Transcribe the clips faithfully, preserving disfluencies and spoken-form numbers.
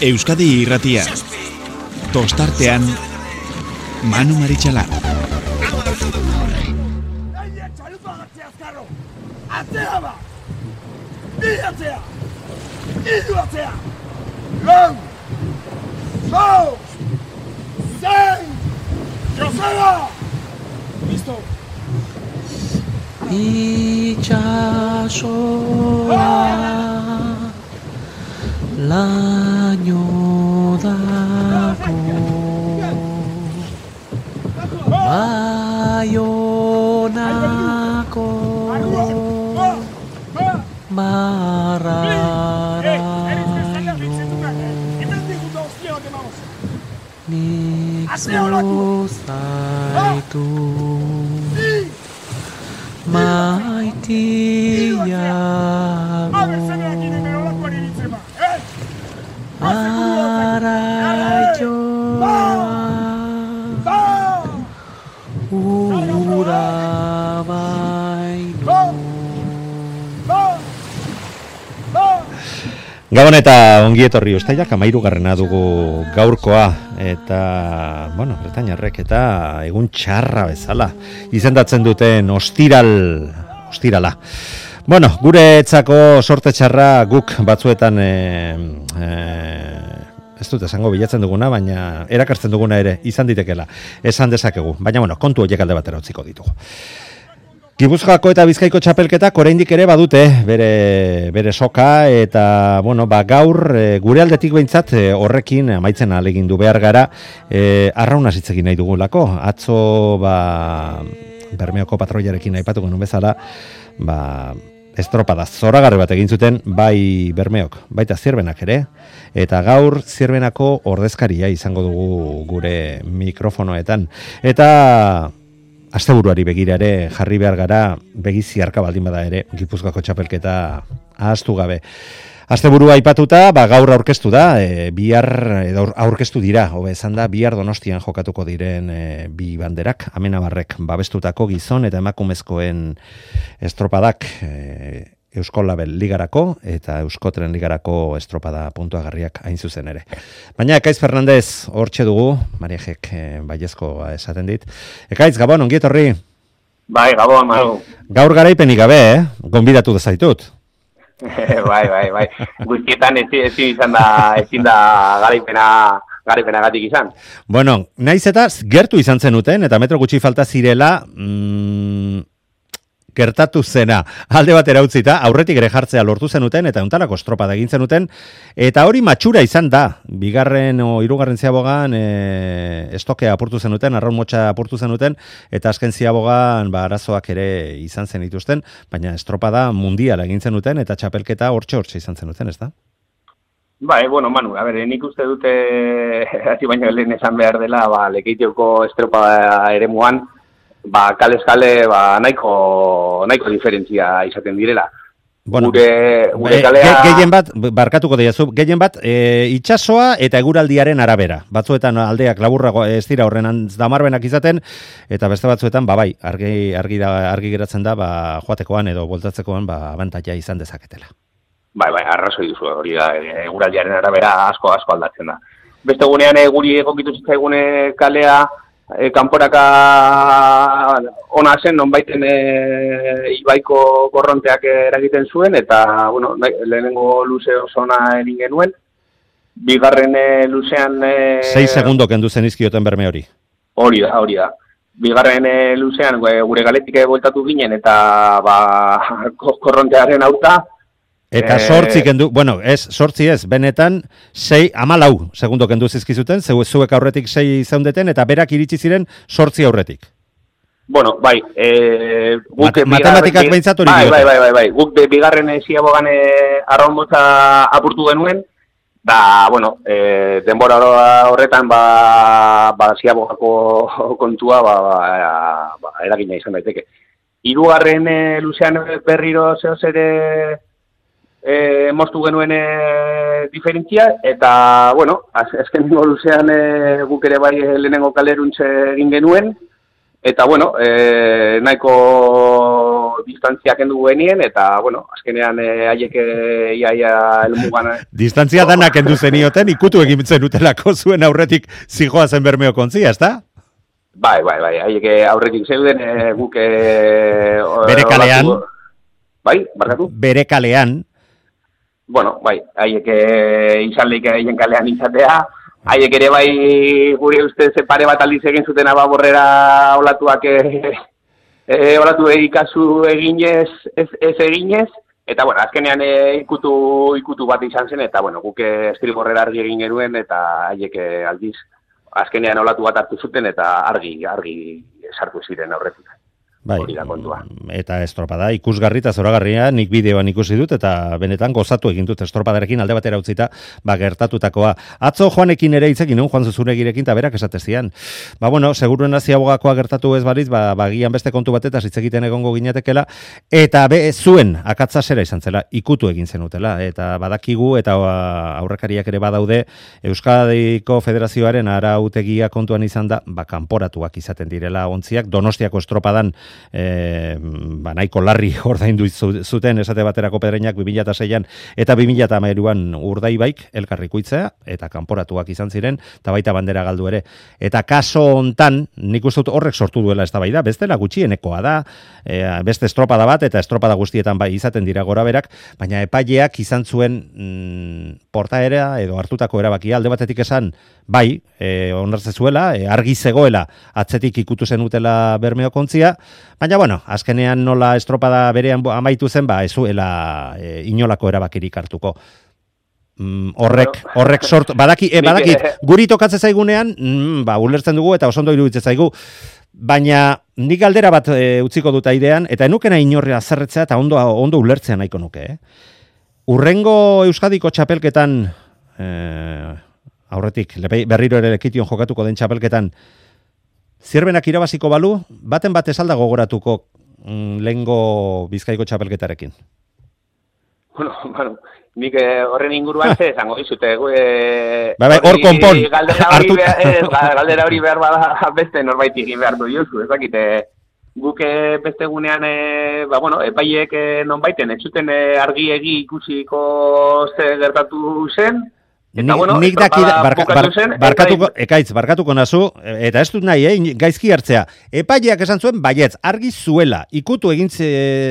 Euskadi Irratia. Tostartean Manu Maritxalar. Atzea ba! Bi atzea! Idu atzea! Lau! Zau! Zein! Joseba! Listo! Itxasoa laino dako Baionako mararaino nik zuzaitu maitiago araioa ura baino. Gabon eta ongi etorri ustailak hamairugarrena dugu gaurkoa eta, bueno, bretainarrek eta egun txarra bezala izendatzen duten ostiral, ostirala. Bueno, guretzako sorte txarra guk batzuetan e, e, ez dut esango bilatzen duguna, baina erakartzen duguna ere izan ditekela, esan dezakegu. Baina, bueno, kontu horiek alde batera utziko ditugu. Gipuzkoako eta Bizkaiko txapelketak oraindik ere badute bere, bere soka eta bueno, ba, gaur e, gure aldetik behintzat e, horrekin amaitzen ahalegindu behar gara e, arraunaz hitz egin nahi dugulako. Atzo ba, Bermeoko patroiarekin aipatu genuen bezala ba, estropada zoragarri bat egin zuten bai Bermeok, baita Zierbenak ere eta gaur Zierbenako ordezkaria izango dugu gure mikrofonoetan eta asteburuari begira ere jarri behar gara begizi harka baldin bada ere Gipuzkoako txapelketa ahaztu gabe. Asteburua aipatuta, ba, gaur aurkeztu da, e, bihar edo aurkeztu dira, hobe esan da, bihar Donostian jokatuko diren e, bi banderak, Amenabarrek babestutako gizon eta emakumezkoen estropadak e, Eusko Label ligarako eta Euskotren ligarako estropada puntuagarriak hain zuzen ere. Baina Ekaiz Fernandez hortxe dugu, Mariajek e, baiezko esaten dit. Ekaiz, Gabon, ongi etorri? Bai, Gabon, Manu. Gaur garaipenik gabe, eh? Gonbidatu dezaitut. bai, bai, bai. Guztietan ezin, ezin izan da, ezin da garaipena, garaipenagatik izan. Bueno, naiz eta gertu izan zenuten, eta metro gutxi falta zirela, mm, gertatu zena, alde batera utzita, aurretik ere jartzea lortu zenuten, eta untarako estropada egin zenuten, eta hori matxura izan da, bigarren o hirugarren ziabogan e, estokea apurtu zenuten, arraun motxa apurtu zenuten, eta azken ziabogan ba, arazoak ere izan zen dituzten, baina estropada mundiala egin zenuten, eta txapelketa hortxe-hortxe izan zenuten, ez da? Bai, bueno, Manu, a ber, nik uste dute, hasi baino lehen esan behar dela, ba, Lekeitioko estropada ere muan, ba, kalez-kale, ba, nahiko, nahiko diferentzia izaten direla. Bueno, gure, gure kalea... Gehien bat, barkatuko deiazu, gehien bat, e, itxasoa eta eguraldiaren arabera. Batzuetan aldeak laburrago ez dira horren damarbenak izaten, eta beste batzuetan, ba, bai, argi, argi, da, argi geratzen da, ba, joatekoan edo voltatzekoan, ba, abantaia izan dezaketela. Bai, bai, arrazoi duzu, hori da, eguraldiaren arabera asko, asko aldatzen da. Beste gunean, guri egokitu zitzaigune kalea, E, kanporaka ona zen, nonbaiten e, ibaiko korronteak eragiten zuen, eta, bueno, lehenengo luze oso ona egin genuen. Bigarren e, luzean... E, Sei segundo kendu zen izkioten Berme hori. Hori da, hori da. Bigarren e, luzean gure galetik bueltatu ginen, eta ba, korrontearen auta, Eta sortzi kendu, bueno, ez, sortzi ez, benetan, sei, amalau segundo kendu zizkizuten, zeu, zuek aurretik sei zaundeten, eta berak iritsi ziren sortzi aurretik. Bueno, bai, e, guk... Mate, matematikak behintzat hori bai, diote. Bai, bai, bai, bai, guk de bigarren ziabogan e, arraun motza apurtu genuen, da, bueno, e, denbora horretan, ba, ba ziabogako kontua, ba, ba, ba eragina izan daiteke. Hirugarren e, luzean berriro zehoz ere... E, moztu genuen e, diferentzia, eta, bueno, azkenengo luzean e, guk ere bai lehenengo kaleruntze egin genuen, Eta, bueno, e, nahiko distantzia kendu genien, eta, bueno, azkenean e, haiek e, iaia elmugan... Distantzia danak kendu zenioten, ikutu egin zenutelako zuen aurretik zijoa zen Bermeo kontzia, ezta? Bai, bai, bai, haiek aurretik zeuden e, guk... E, Bere kalean? Olatu, bai, barkatu? Bere kalean? Bueno, bai, haiek e, izan lehik haien kalean izatea, haiek ere bai gure ustez pare bat aldiz egin zuten ababorrera olatuak e, e, olatu ikasu eginez, ez, ez eginez, eta bueno, azkenean e, ikutu, ikutu bat izan zen, eta bueno, guk estriborrera argi egin genuen, eta haiek aldiz, azkenean olatu bat hartu zuten, eta argi, argi sartu ziren aurretik. Bai, hori da kontua. Eta estropada ikusgarri eta zoragarria, nik bideoan ikusi dut, eta benetan gozatu egin dut estropadarekin alde batera utzita, ba, gertatutakoa. Atzo Joanekin ere hitzekin, non, Juan Zuzuregirekin, eta berak esatezian. Ba, bueno, seguruen aziabogakoa gertatu ez baliz, ba, bagian beste kontu batetaz hitz egiten egongo ginatekela, eta be, zuen akatza zera izan zela, ikutu egin zenutela, eta badakigu, eta aurrekariak ere badaude, Euskadiko Federazioaren arautegia kontuan izan da, ba, kanporatuak izaten direla ontziak, Donostiako estropadan E, ba, nahiko larri ordaindu zuten esate baterako Pedreinak bi mila seian eta bi mila hamairuan Urdaibaik elkarrikuitzea eta kanporatuak izan ziren eta baita bandera galdu ere. Eta kaso hontan nik uste dut horrek sortu duela eztabaida, bestela gutxienekoa da, e, beste estropada bat eta estropada guztietan bai izaten dira goraberak, baina epaileak izan zuen mm, portaera edo hartutako erabakia alde batetik esan bai, e, onartze zuela, e, argi zegoela atzetik ikutu zenutela Bermeo kontzia, baina, bueno, azkenean nola estropada berean amaitu zen, ba, ez zuela e, inolako erabakirik hartuko. Mm, horrek, horrek sortu, badaki, e, badakit, guri tokatzen zaigunean, mm, ba, ulertzen dugu eta osondo iruditzen zaigu, baina nik galdera bat e, utziko dut airean, eta enukena inorria zerretzea eta ondo, ondo ulertzea nahiko nuke. Eh? Urrengo Euskadiko txapelketan, e, aurretik, berriro ere lekition jokatuko den txapelketan, zirbenak irabaziko balu, baten bat esalda gogoratuko mm, lehengo Bizkaiko txapelketarekin? Bueno, bueno, nik horren inguruan ze esango dizute. E, bai, bai, hor konpon. Galdera hori, behar, ez, galdera hori behar bada beste norbait egin behar du diozu, ez dakite. Guk beste gunean, e, ba, bueno, epaiek non baiten, ez zuten e, argi egi ikusiko ze gertatu zen, Eta, bueno, nik daki, barka, bar, barkatuko, ekaitz, barkatuko nazu, eta ez dut nahi, eh, gaizki hartzea. Epaileak esan zuen, baietz, argi zuela, ikutu egin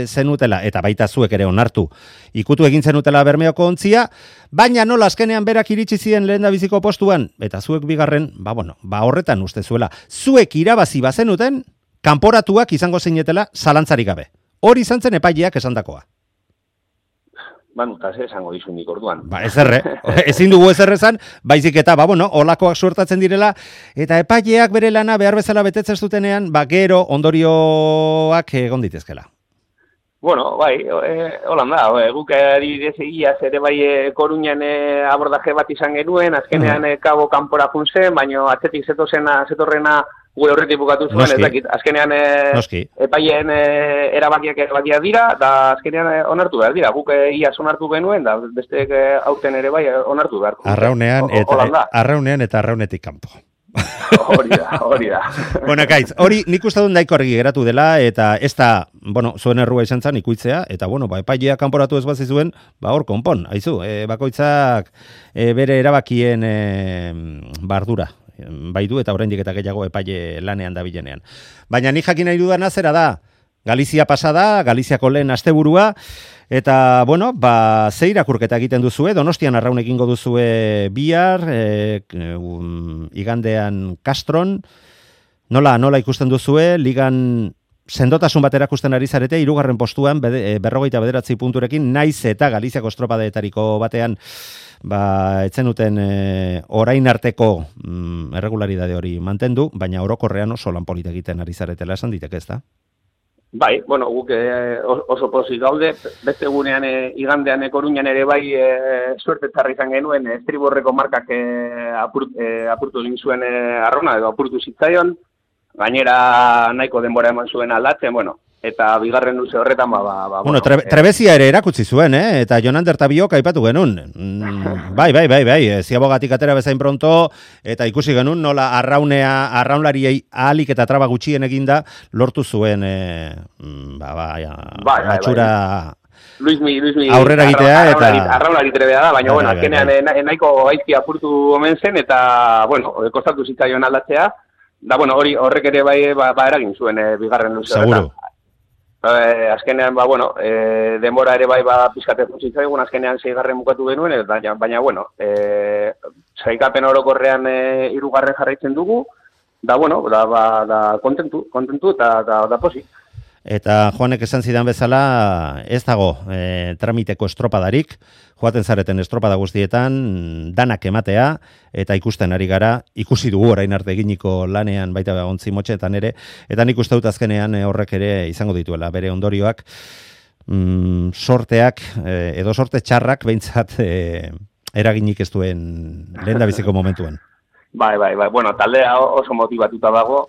zenutela, eta baita zuek ere onartu, ikutu egin zenutela Bermeoko ontzia, baina nola azkenean berak iritsi ziren lehendabiziko postuan, eta zuek bigarren, ba bueno, ba horretan uste zuela, zuek irabazi bazenuten, kanporatuak izango zeinetela zalantzarik gabe. Hori izan zen epaileak esandakoa. Banu, eta ze esango dizu nik orduan. Ba, ez erre, ezin dugu ez errezan, baizik eta, ba, bueno, olakoak suertatzen direla, eta epaileak bere lana behar bezala betetzen zutenean, ba, gero ondorioak egon ditezkela. Bueno, bai, e, holan da, e, guk adibidez egiaz ere bai e, Koruñan e, abordaje bat izan genuen, azkenean e, kabo kanpora jun zen, baina atzetik zetozena, zetorrena gure horretik bukatu zuen, ez dakit. Azkenean e, epaileen e, erabakiak erabakiak dira, da azkenean e, onartu behar dira. Guk e, iaz onartu genuen, da besteek e, aurten ere bai onartu behar. Arraunean eta, arraunean eta arraunetik kanpo. Hori da, hori da. Bueno, Kaitz, hori nik uste dut nahiko argi geratu dela, eta ez da, bueno, zuen errua izan zen ikuitzea, eta bueno, ba, epailea kanporatu ez bazi zuen, ba, hor konpon, haizu, e, bakoitzak e, bere erabakien e, bardura bai du, eta oraindik eta gehiago epaile lanean dabilenean. Baina ni jakin nahi dudana zera da, Galizia pasada, Galiziako lehen asteburua, eta, bueno, ba, ze irakurketa egiten duzue, Donostian arraun egingo duzue bihar, e, um, igandean Castron, nola, nola ikusten duzue, ligan sendotasun bat erakusten ari zarete, hirugarren postuan, bede, berrogeita bederatzi punturekin, naiz eta Galiziako estropadeetariko batean, ba, etzenuten e, orain arteko mm, erregularidade hori mantendu, baina orokorrean oso lan polita egiten ari zaretela esan diteke, ez da? Bai, bueno, guk eh, oso pozik gaude, beste egunean eh, igandean Koruñan ere bai eh, suerte txarra izan genuen, eh, estriborreko markak eh, apurt, eh, apurtu egin zuen eh, arrona, edo apurtu zitzaion, gainera nahiko denbora eman zuen aldatzen, bueno, eta bigarren luze horretan, ba, ba, ba bueno, tre, trebezia ere erakutsi zuen, eh? Eta Jonander Tabiok aipatu genuen. Mm, bai, bai, bai, bai, ziabogatik atera bezain pronto, eta ikusi genuen nola arraunea, arraunlariei ahalik eta traba gutxien eginda, lortu zuen, eh, ba, ba, ja, bai, matxura... Bai. Luismi, Luismi, aurrera egitea eta... Arraunlari trebea da, baina, bueno, azkenean nahiko gaizki apurtu omen zen, eta, bueno, kostatu zitzaion aldatzea, da, bueno, hori horrek ere bai, ba, ba eragin zuen e, bigarren luze horretan. Seguro. E, azkenean, ba, bueno, e, denbora ere bai, ba, pizkate zitzaigun, azkenean zeigarren bukatu genuen, baina, baina bueno, e, zaikapen orokorrean e, hirugarren jarraitzen dugu, da, bueno, da, ba, da kontentu, kontentu eta da, da posi. Eta Joanek esan zidan bezala, ez dago e, tramiteko estropadarik, joaten zareten estropada guztietan, danak ematea, eta ikusten ari gara, ikusi dugu orain arte eginiko lanean baita ontzi motxetan ere, eta nik uste dut azkenean e, horrek ere izango dituela, bere ondorioak, mm, sorteak, e, edo sorte txarrak, behintzat e, eraginik ez duen lehen da biziko momentuan. Bai, bai, bai, bueno, taldea oso motivatuta dago,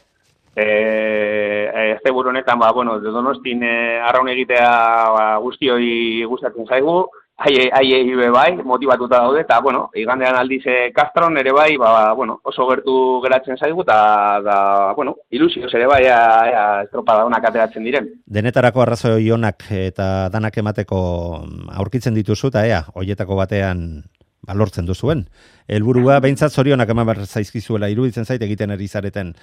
Eh, este buru honetan, ba, bueno, Donostin eh, arraun egitea ba, guztioi gustatzen zaigu, haiei haiei bai, motivatuta daude, eta, bueno, igandean aldiz eh, Castron ere bai, ba, bueno, oso gertu geratzen zaigu, eta, da, bueno, ilusioz ere bai, ea, estropada honak ateratzen diren. Denetarako arrazoi onak eta danak emateko aurkitzen dituzu, eta ea, hoietako batean ba, lortzen duzuen. Helburua behintzat zorionak eman behar zaizkizuela, iruditzen zait egiten ari zareten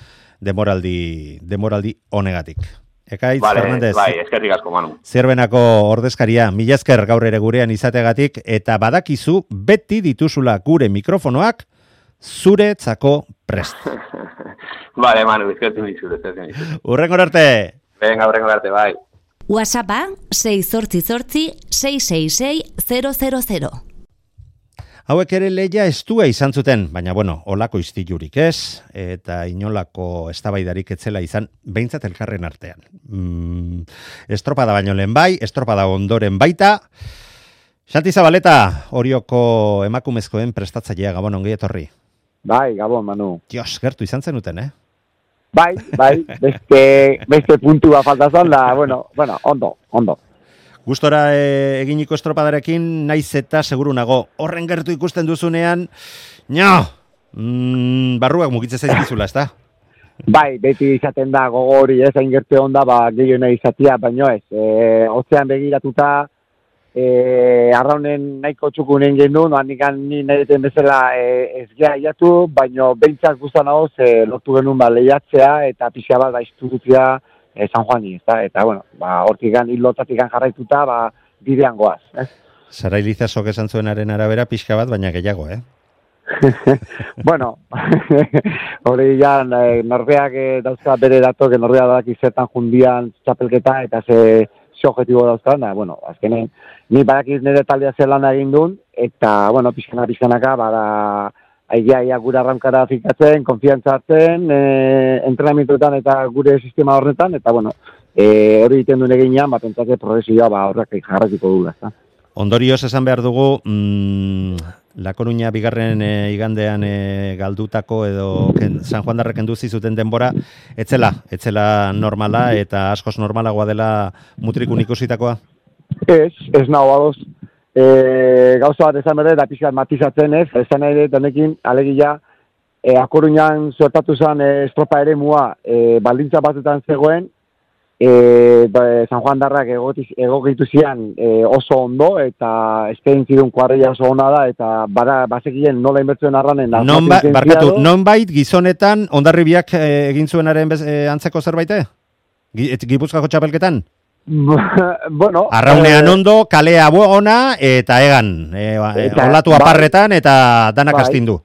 demoraldi, demoraldi honegatik. Ekaitz, vale, Fernandez. Bai, eskerrik asko, Manu. Zerbenako ordezkaria, mila esker gaur ere gurean izategatik, eta badakizu beti dituzula gure mikrofonoak zuretzako prest. Vale, Manu, eskertzen dizut, eskertzen dizut. Urrengor arte! Venga, urrengor arte, bai. WhatsAppa sei zortzi zortzi sei sei sei zero zero zero. Hauek ere leia estua izan zuten, baina bueno, olako istilurik ez, eta inolako eztabaidarik etzela izan, behintzat elkarren artean. Mm, estropada baino lehen bai, estropada ondoren baita. Xanti Zabaleta, Orioko emakumezkoen prestatzailea, Gabon, ongi etorri. Bai, Gabon, Manu. Dios, gertu izan zenuten, eh? Bai, bai, beste, beste puntua faltazan da, bueno, bueno, ondo, ondo. Gustora e, eginiko estropadarekin, naiz eta seguru nago, horren gertu ikusten duzunean, nio, mm, barruak mugitzen zaizkizula, ez da? Bai, beti izaten da gogori, ez, hain gertu onda, ba, gehiena izatea, baino ez, e, otzean begiratuta, e, arraunen nahiko txukunen gendun, anikan ni nahi deten bezala e, ez geha iatu, baino behintzak guztan hau, e, lortu genuen ba, lehiatzea, eta pixia bat da institutzia, E, San Juani, ez da? Eta, bueno, ba, hortikan, hilotatikan jarraituta, ba, bidean goaz, ez? Sara Ilizasok esan zuenaren arabera pixka bat, baina gehiago, eh? Bueno, hori ja, eh, norbeak eh, dauzka bere datok, norbeak dadak izertan jundian txapelketa, eta ze, ze objetibo dauzka, na, bueno, azkenen, ni badakiz nire taldea zelan egin duen, eta, bueno, pixkana, pixkanaka, bada, aigia, ia gure arrankara fikatzen, konfiantza hartzen, e, entrenamentuetan eta gure sistema horretan, eta bueno, e, hori egiten duen eginean, bat entzake progresioa ba, horrek jarratiko dugu. Ondorioz esan behar dugu, mm, La Coruña bigarren e, igandean e, galdutako edo ken, San Juan darrek enduzi zuten denbora, etzela, etzela normala eta askoz normalagoa dela mutrikun ikusitakoa? Ez, ez nago adoz. E, gauza bat esan berde, da pixkat matizatzen ez, esan ere denekin, alegia, e, Akoruñan suertatu zen e, estropa ere mua, e, baldintza batetan zegoen, e, ba, San Juan darrak egokitu zian e, oso ondo, eta eskein zidun kuarria oso ona da, eta bara, bazekien nola inbertzuen arranen. Non ba, barkatu, non bait gizonetan, ondarribiak e, egin zuenaren bez, e, antzeko zerbaite? Gipuzkoako txapelketan? Bueno, arraunean eh, ondo, kalea ona, eta egan, e, eta, olatu aparretan, bai, eta danak bai, astindu.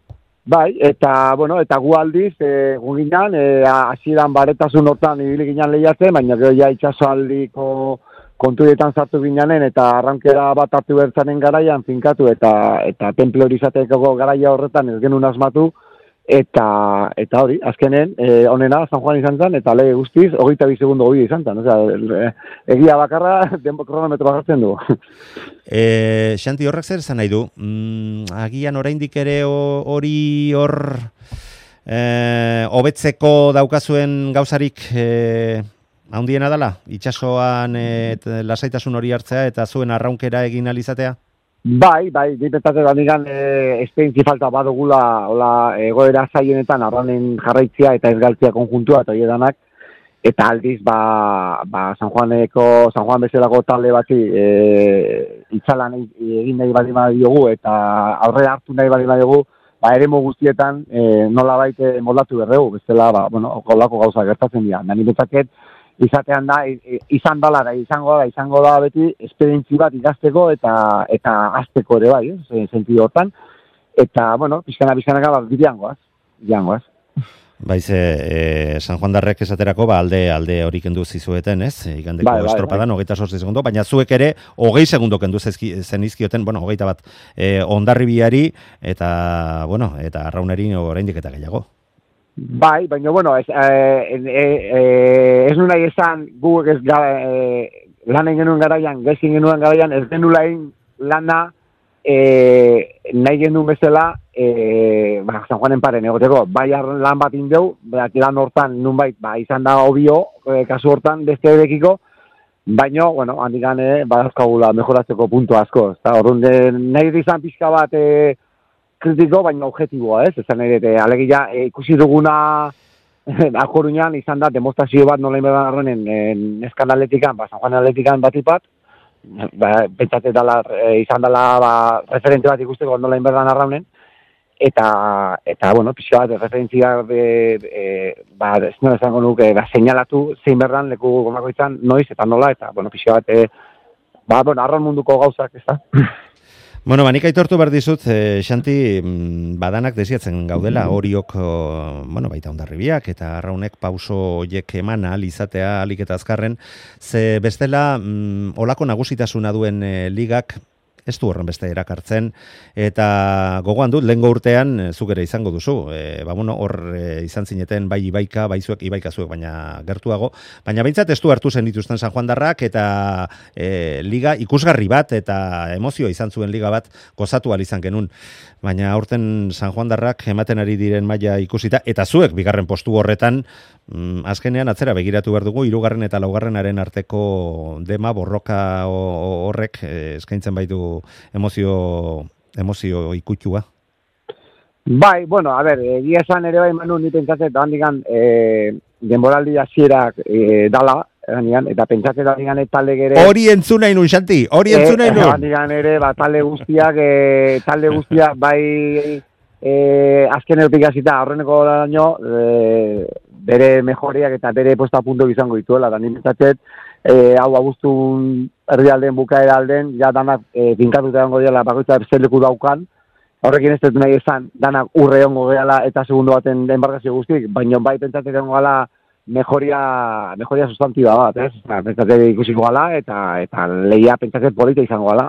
Bai, eta, bueno, eta gu aldiz, e, gu ginen, e, hasieran baretasun hortan ibili ginen lehiatzen, baina gero ja itxasoaldiko kontuetan sartu ginen, eta arrankera bat hartu bertzanen garaian finkatu, eta eta temple hori izateko garaia horretan ez genuen asmatu, Eta, eta hori, azkenen, e, onena, San Juan izan zen, eta lege guztiz, hogeita bi segundo hori izan zen. Osea, egia bakarra, denbo kronometro bakartzen du. E, Xanti, horrek zer esan nahi du? Mm, agian oraindik ere hori hor e, hobetzeko daukazuen gauzarik e, handiena dala, itsasoan et, lasaitasun hori hartzea eta zuen arraunkera egin alizatea? Bai, bai, dipetatzen gandigan e, esperientzi falta badugula hola egoera zaienetan arranen jarraitzea eta ez galtzea konjuntua eta hiedanak, eta aldiz, ba, ba San Juaneko, San Juan bezalako talde bati e, itzalan egin nahi bali badiogu eta aurrera hartu nahi bali badiogu, ba, eremu guztietan e, nola baite moldatu berregu, bezala, ba, bueno, kolako gauza gertatzen dira. Nani betzaket, izatean da, izan dala da, izango da, izango da beti, esperientzi bat ikasteko eta eta azteko ere bai, eh, sentido hortan. Eta, bueno, pizkana, pizkanaka, ba, bideangoaz, bideangoaz. Baiz, e, San Juan darrek esaterako, ba, alde alde hori kendu zizueten, ez? Igandeko bai, bai, estropadan, bai. hogeita sortzi segundo, baina zuek ere, hogei segundo kendu zenizkioten, bueno, hogeita bat, e, Hondarribiari, eta, bueno, eta Arrauneri oraindik eta gehiago. Bai, baina, bueno, ez, e, e, e, ez nuna esan gu ez gara, e, lanen genuen garaian, gezin genuen garaian, ez genulain lana e, nahi genuen bezala, e, ba, San Juanen paren egoteko, bai lan bat indeu, lan hortan nunbait, ba, izan da obio, e, kasu hortan, beste edekiko, baina, bueno, handik gane, badazkagula mejoratzeko puntu asko, eta orduan, nahi izan pixka bat, e, kritiko, baina objetiboa, ez? Ezan ere, alegia e, ikusi duguna Akoruñan izan da demonstrazio bat nola inberdan arronen neskan atletikan, ba, San Juan atletikan batipat, ba, pentsate dala, e, izan dela ba, referente bat ikusteko nola inberdan arraunen, eta, eta bueno, pixka bat, referentzia e, e, ba, ez nola esango nuke, ba, seinalatu zein berdan leku gomako izan noiz, eta nola, eta, bueno, pixka bat, e, ba, bueno, arraun munduko gauzak, ez da? Bueno, banik aitortu behar dizut, eh, Xanti, badanak desiatzen gaudela, horiok, bueno, baita Hondarribiak eta Arraunek pauso horiek eman ahal izatea, ahalik eta azkarren, ze bestela, mm, olako nagusitasuna duen eh, ligak, ez du horren beste erakartzen, eta gogoan dut, lehengo urtean, zuk ere izango duzu, e, ba, bueno, hor e, izan zineten bai ibaika, bai zuek, ibaika zuek, baina gertuago, baina behintzat ez du hartu zen dituzten San Juan darrak, eta e, liga ikusgarri bat, eta emozioa izan zuen liga bat, gozatu ahal izan genuen, baina aurten San Juan darrak ematen ari diren maila ikusita, eta zuek, bigarren postu horretan, mm, azkenean atzera begiratu behar dugu, hirugarren eta laugarrenaren arteko dema, borroka horrek e, eskaintzen baitu emozio, emozio ikutxua. Bai, bueno, a ber, egia esan ere bai manu ni pentsatzen da handigan eh, denboraldi hasierak eh, dala, handigan, eta pentsatzen da handigan talde ere... Hori entzuna inun, Xanti, hori entzuna inun. Eh, handigan ere, ba, talde guztiak, eh, talde guztiak bai eh, azken erotik hasita horreneko daño, eh, bere mejoriak eta bere posta punto izango dituela, da ni pentsatzen, E, hau abuztun erdialden bukaera alden, ja danak e, finkatuta egongo dela bakoitza zeleku daukan, horrekin ez dut nahi esan, danak urre egongo gehala eta segundo baten enbargazio guztik, baina bai pentsatzen egongo gala mejoria, mejoria sustantiba bat, ez? Pentsatzen ikusiko gala eta, eta lehia pentsatzen polita izango gala,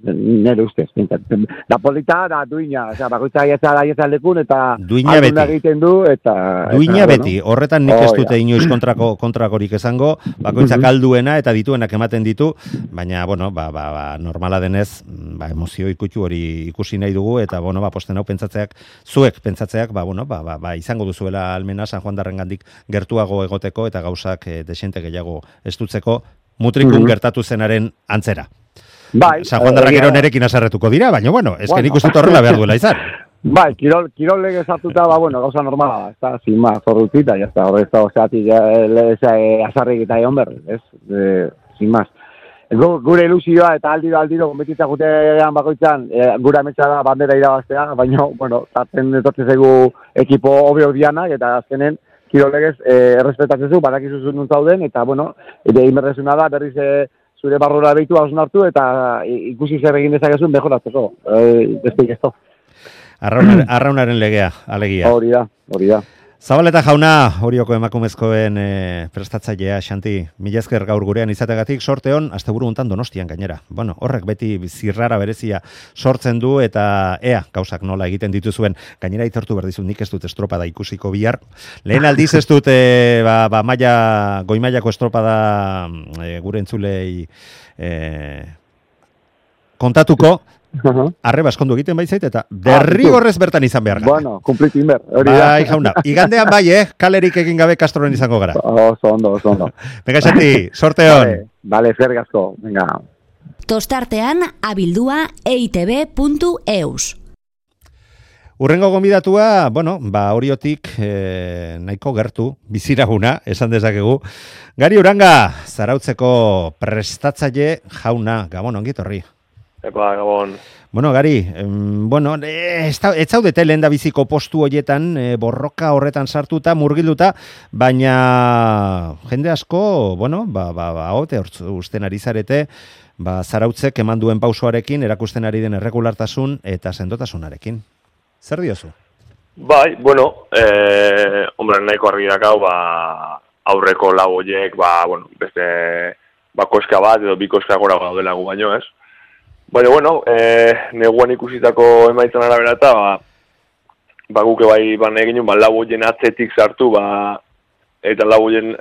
nire ustez, pentsatzen. Da polita, da duina, oza, bakoitza aietza da aietza lekun eta duina beti. Egiten du, eta... Duina eta, beti, bueno. Horretan nik ez Oh, dute ja. inoiz kontrako, kontrakorik esango, bakoitzak alduena eta dituenak ematen ditu, baina, bueno, ba, ba, ba, normala denez, ba, emozio ikutxu hori ikusi nahi dugu, eta, bueno, ba, posten hau pentsatzeak, zuek pentsatzeak, ba, bueno, ba, ba, ba, izango duzuela almena San Juan darrengandik gertuago egoteko eta gauzak e, desente gehiago estutzeko, mutrikun Mm-hmm. gertatu zenaren antzera. Bai, San Juan darrak ero nerekin azarretuko dira, baina, bueno, ez que nik uste horrela behar duela izan. Bai, kirol, kirol lege sartuta, ba, bueno, gauza normala da, ez da, sin más, zorrutita, ya está, horre ez da, oseatik, azarrik eta egon berri, ez, e, sin más. Gure ilusioa eta aldiro, aldiro, konbetitza gutean bakoitzan, e, gure ametsa da bandera irabaztea, baina, bueno, tarten etortze zaigu ekipo obeo dianak, eta azkenen, kirol legez, e, errespetatzen zu, badakizu zuen zauden, eta, bueno, ere inberrezuna da, berriz, e, zure barrura behitu hausun hartu eta ikusi zer egin dezakezun mejoratzeko. E, Besteik ez to. Arraunar, arraunaren legea, alegia. Hori da, hori da. Zabaleta jauna, horioko emakumezkoen e, prestatzailea, Xanti, mila esker gaur gurean izategatik, sorte hon, asteburu hontan Donostian gainera. Bueno, horrek beti zirrara berezia sortzen du eta ea, gauzak nola egiten dituzuen, gainera itortu berdizu, nik ez dut estropada ikusiko bihar. Lehen aldiz ez dut, e, ba, ba, maia, goi mailako estropada e, gure entzulei e, kontatuko, arre baskondu egiten baizait, eta derrigorrez bertan izan behar gara. Bueno, kumplitu inber. Hori da. Bai, jauna. Igandean bai, eh? Kalerik egin gabe Castroren izango gara. Oso ondo, oso ondo. Venga, Xanti, sorte hon. Vale, vale, eskerrik asko. Venga. Tostartean abildua eitb puntu eus. Urrengo gonbidatua, bueno, ba horiotik eh, nahiko gertu, biziraguna, esan dezakegu. Gari Uranga, Zarautzeko prestatzaile jauna, Gabon, ongi etorri. Epa, Gabon. Bueno, Gari, em, bueno, ez zaudete lehen da biziko postu hoietan, e, borroka horretan sartuta, murgilduta, baina jende asko, bueno, ba, ba, ba, ote, usten ari zarete, ba, Zarautzek eman duen pausoarekin, erakusten ari den erregulartasun eta sendotasunarekin. Zer diozu? Bai, bueno, eh, hombre, nahiko argi dakau, ba, aurreko lau horiek, ba, bueno, beste, ba, koska bat edo bi koska gora gaudela gu baino, ez? Baina, bueno, eh, neguan ikusitako emaitzan arabera eta, ba, ba, guke bai, ba, negin, ba, lau horien atzetik sartu, ba, eta lau horien,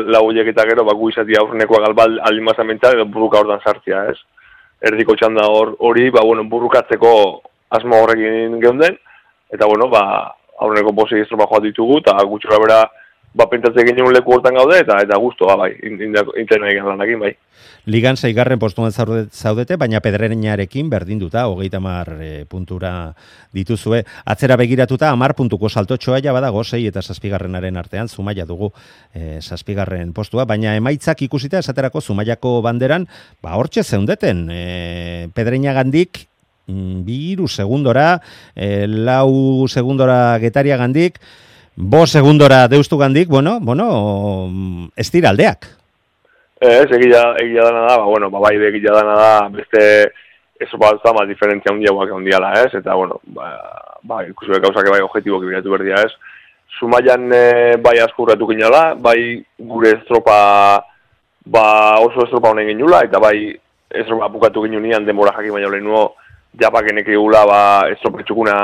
lau horiek eta gero, ba, gu izatia aurrenekoa galbal alimazan mental, edo burruka hortan sartzia, ez? Erdiko txanda hori, ba, bueno, burrukatzeko asmo horrekin geunden, eta, bueno, ba, aurreneko posei estropa joat ditugu, eta gutxora bera, ba, pentatze genuen leku hortan gaude, eta eta guztua, bai, interna egin lanakin, bai. Ligan seigarren postuan zaudete, baina Pedreñarekin berdinduta, hogeita hamar e, puntura dituzue. Atzera begiratuta, hamar puntuko saltotxoa ja badago, sei eta zazpigarrenaren artean, Zumaia dugu e, zazpigarren postua, baina emaitzak ikusita esaterako Zumaiako banderan, ba, hortxe zeundeten, e, Pedreñagandik, bi hiru segundora, e, lau segundora Getaria gandik, bo segundora Deustu gandik, bueno, bueno, ez dira aldeak. Ez, egia, egia dana da, ba, bueno, ba, bai, egia dana da, beste, eso bat da, ma, diferentzia hundia guak hundiala, ez, eta, bueno, ba, ba ikusi behar gauzak bai objetiboak ibiratu berdia, ez. Zumaian e, bai askurratu ginala, bai gure estropa, ba, oso estropa honen ginula, eta bai estropa bukatu ginunean denbora jakin baina lehen nuo, japakenek egula, ba, estropetxukuna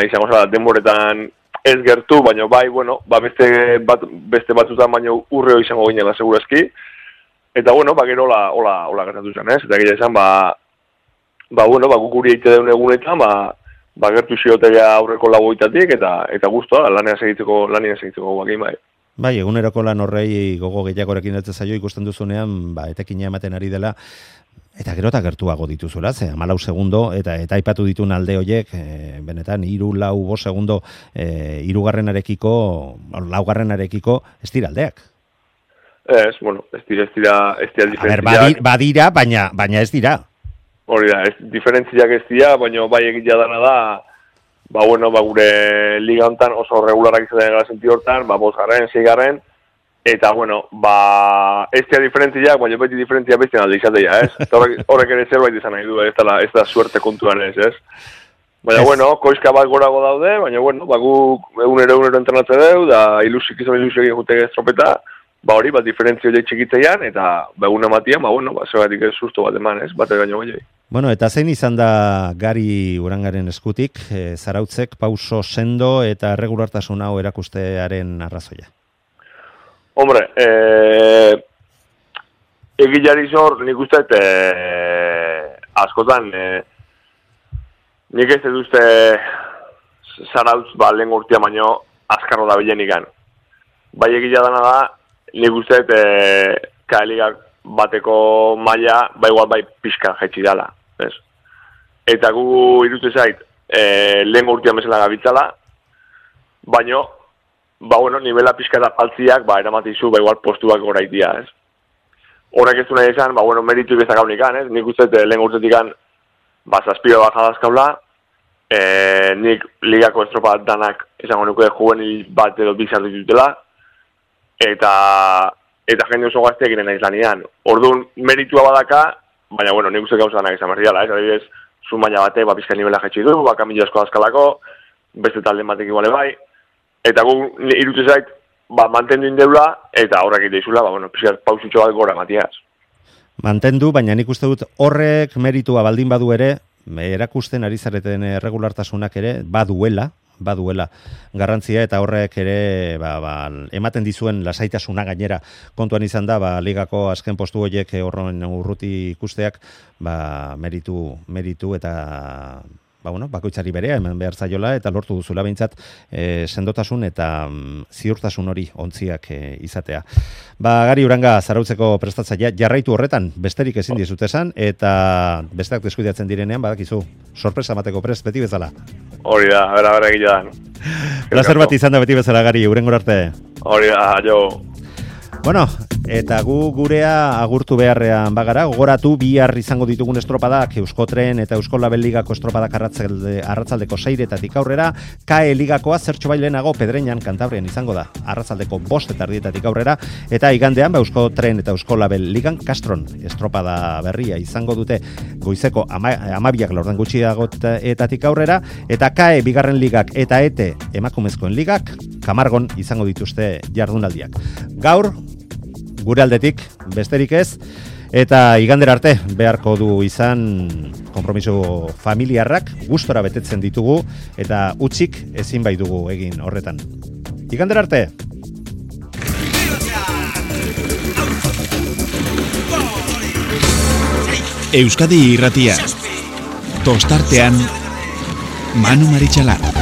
izango zara, denboretan ez gertu, baina bai, bueno, ba, beste, bat, beste batzutan baina urreo izango ginela segurazki, eta, bueno, ba, gero hola, hola, hola gertatu zen, ez? Eta gira izan, ba, ba, bueno, ba, gukuri eite deun egunetan, ba, ba, gertu ziotea aurreko lagoitatik, eta, eta guztua, lanea segitzeko, lanea segitzeko guakin, bai. Bai, eguneroko lan horrei gogo gehiagorekin ez zaio ikusten duzunean, ba, etekina ematen ari dela, eta gero eta gertuago dituzula, ze hamalau segundo, eta eta aipatu ditun alde horiek, e, benetan, hiru lau bost segundo, e, hirugarrenarekiko, laugarrenarekiko, ez dira aldeak. Ez, bueno, ez dira, ez dira, ez dira diferentziak. A ber, badira, baina, baina ez dira. Hori da, ez, diferentziak ez dira, baina bai egitea dana da, ba, bueno, ba, gure liga hontan oso regularak izaten gara senti hortan, ba, bosgarren, seigarren, eta, bueno, ba, ez dira diferentziak, baina beti diferentzia bestien alde izatea, ez? Horrek, horrek ere zerbait izan nahi du, ez da, ez da suerte kontuan ez, ez? Baina, bueno, koizka bat gorago daude, baina, bueno, ba, gu egunero egunero entrenatze deu, da ilusik izan ilusik egin jutege estropeta, ba hori, bat diferentzio horiek txikitzeian, eta ba egun ematian, ba bueno, ba zegatik ez susto bat eman, ez, bat egaino gehiago. Bueno, eta zein izan da Gari Urangaren eskutik, e, Zarautzek pauso sendo eta erregulartasun hau erakustearen arrazoia? Hombre, eh, egilari zor, nik uste, eh, askotan, eh, nik ez duzte Zarautz, ba, lehen urtia baino, azkarro da bilenikan. Bai egila dana da, nik uste, e, kaeligak bateko maila, bai igual bai pixka jetxi dala, ez? Eta gu irutze zait, e, lehen urtean bezala gabitzala, baino, ba bueno, nivela pixka eta paltziak, ba, eramatizu, ba igual postuak goraitia, ez? Horrek ez du nahi esan, ba bueno, meritu ibezak haunikan, ez? Nik uste, lehen urtetik ba, zazpio bajadazkaula, e, nik ligako estropa danak esango nuke juvenil bat edo bizar ditutela, eta eta jende oso gazteak iren naiz lanian. Orduan, meritua badaka, baina, bueno, nik uste gauza danak izan berriala, ez? Adibidez, Zumaia batek, ba, pizka nivela jetxi du, ba, kamila asko azkalako, beste talde batek iguale bai, eta gu irutze zait, ba, mantendu indeula, eta horrek iteizula, ba, bueno, pizka pausutxo bat gora matiaz. Mantendu, baina nik uste dut horrek meritua baldin badu ere, erakusten ari zareten erregulartasunak ere, baduela, baduela garrantzia eta horrek ere ba, ba, ematen dizuen lasaitasuna gainera kontuan izan da ba, ligako azken postu horiek horren urruti ikusteak ba, meritu, meritu eta ba, bueno, bakoitzari berea hemen behar zaiola eta lortu duzula behintzat e, sendotasun eta mm, ziurtasun hori ontziak e, izatea. Ba, Gari Uranga zarautzeko prestatzailea jarraitu horretan besterik ezin dizut esan eta besteak deskuidatzen direnean badakizu sorpresa emateko prest beti bezala. Hori da, bera bera egilean. Plazer bat izan da beti bezala, Gari, urrengor arte. Hori da, jo. Bueno, eta gu gurea agurtu beharrean bagara, gogoratu bihar izango ditugun estropadak Euskotren eta Eusko Label Ligako estropadak arratzalde, arratzaldeko seiretatik aurrera, K E Ligakoa zertxo bailenago Pedreñan Kantabrian izango da, arratzaldeko bost eta erdietatik aurrera, eta igandean ba, Euskotren eta Eusko Label Ligan Kastron estropada berria izango dute goizeko ama, amabiak laurden gutxiagoetatik aurrera, eta K E Bigarren Ligak eta E T E Emakumezkoen Ligak Kamargon izango dituzte jardunaldiak. Gaur, gure aldetik, besterik ez, eta igandera arte beharko du izan konpromiso familiarrak gustora betetzen ditugu eta utzik ezin bai dugu egin horretan. Igandera arte! Euskadi Irratia. Tostartean Manu Maritxalar.